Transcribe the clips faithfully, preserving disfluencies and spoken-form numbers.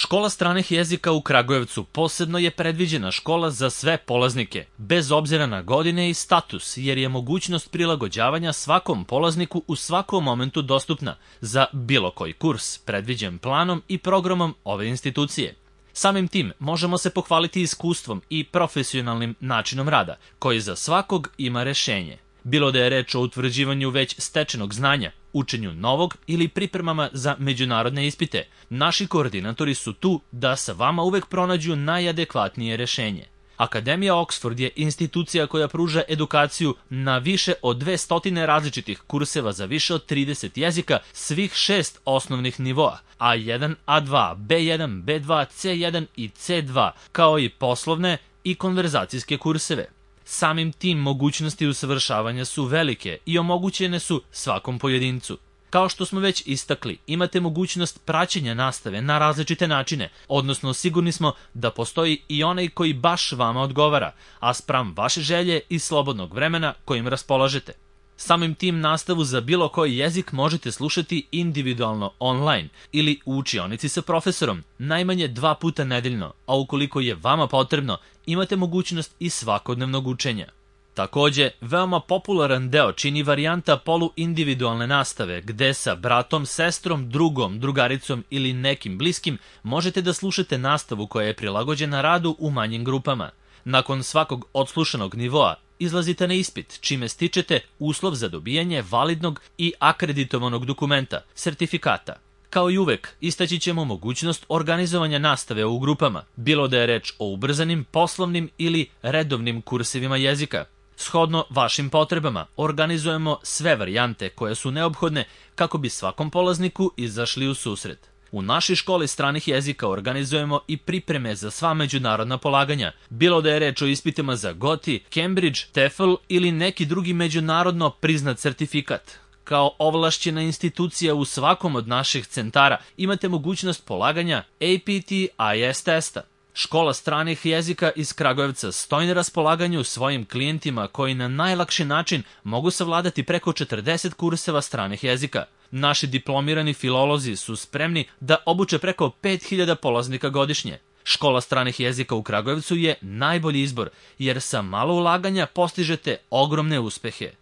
Škola stranih jezika u Kragujevcu posebno je predviđena škola za sve polaznike, bez obzira na godine i status, jer je mogućnost prilagođavanja svakom polazniku u svakom momentu dostupna za bilo koji kurs, predviđen planom i programom ove institucije. Samim tim možemo se pohvaliti iskustvom i profesionalnim načinom rada, koji za svakog ima rešenje. Bilo da je reč o utvrđivanju već stečenog znanja, učenju novog ili pripremama za međunarodne ispite, naši koordinatori su tu da sa vama uvek pronađu najadekvatnije rešenje. Akademija Oxford je institucija koja pruža edukaciju na više od dvesta različitih kurseva za više od trideset jezika svih šest osnovnih nivoa, A jedan, A dva, B jedan, B dva, C jedan i C dva, kao i poslovne i konverzacijske kurseve. Samim tim mogućnosti usavršavanja su velike i omogućene su svakom pojedincu. Kao što smo već istakli, imate mogućnost praćenja nastave na različite načine, odnosno sigurni smo da postoji i onaj koji baš vama odgovara, a spram vaše želje i slobodnog vremena kojim raspolažete. Samim tim nastavu za bilo koji jezik možete slušati individualno online ili u učionici sa profesorom, najmanje dva puta nedeljno, a ukoliko je vama potrebno, imate mogućnost i svakodnevnog učenja. Takođe, veoma popularan deo čini varijanta poluindividualne nastave, gde sa bratom, sestrom, drugom, drugaricom ili nekim bliskim možete da slušate nastavu koja je prilagođena radu u manjim grupama. Nakon svakog odslušanog nivoa, izlazite na ispit, čime stičete uslov za dobijanje validnog i akreditovanog dokumenta, sertifikata. Kao i uvek, istaći ćemo mogućnost organizovanja nastave u grupama, bilo da je reč o ubrzanim, poslovnim ili redovnim kursevima jezika. Shodno vašim potrebama, organizujemo sve varijante koje su neophodne kako bi svakom polazniku izašli u susret. U našoj školi stranih jezika organizujemo i pripreme za sva međunarodna polaganja, bilo da je reč o ispitima za Goti, Cambridge, TEFL ili neki drugi međunarodno priznat sertifikat. Kao ovlašćena institucija u svakom od naših centara imate mogućnost polaganja A P T I E S testa. Škola stranih jezika iz Kragujevca stoji na raspolaganju svojim klijentima koji na najlakši način mogu savladati preko četrdeset kurseva stranih jezika. Naši diplomirani filolozi su spremni da obuče preko pet hiljada polaznika godišnje. Škola stranih jezika u Kragujevcu je najbolji izbor, jer sa malo ulaganja postižete ogromne uspehe.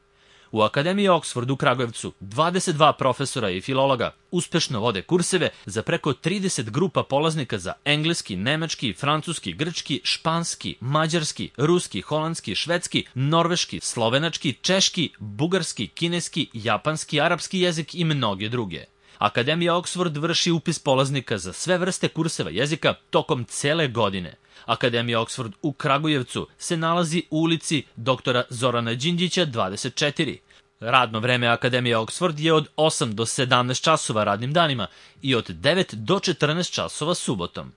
U Akademiji Oxford u Kragujevcu dvadeset dva profesora i filologa uspešno vode kurseve za preko trideset grupa polaznika za engleski, nemački, francuski, grčki, španski, mađarski, ruski, holandski, švedski, norveški, slovenački, češki, bugarski, kineski, japanski, arapski jezik i mnoge druge. Akademija Oxford vrši upis polaznika za sve vrste kurseva jezika tokom cele godine. Akademija Oxford u Kragujevcu se nalazi u ulici doktora Zorana Đinđića dvadeset četiri. Radno vreme Akademije Oxford je od osam do sedamnaest časova radnim danima i od devet do četrnaest časova subotom.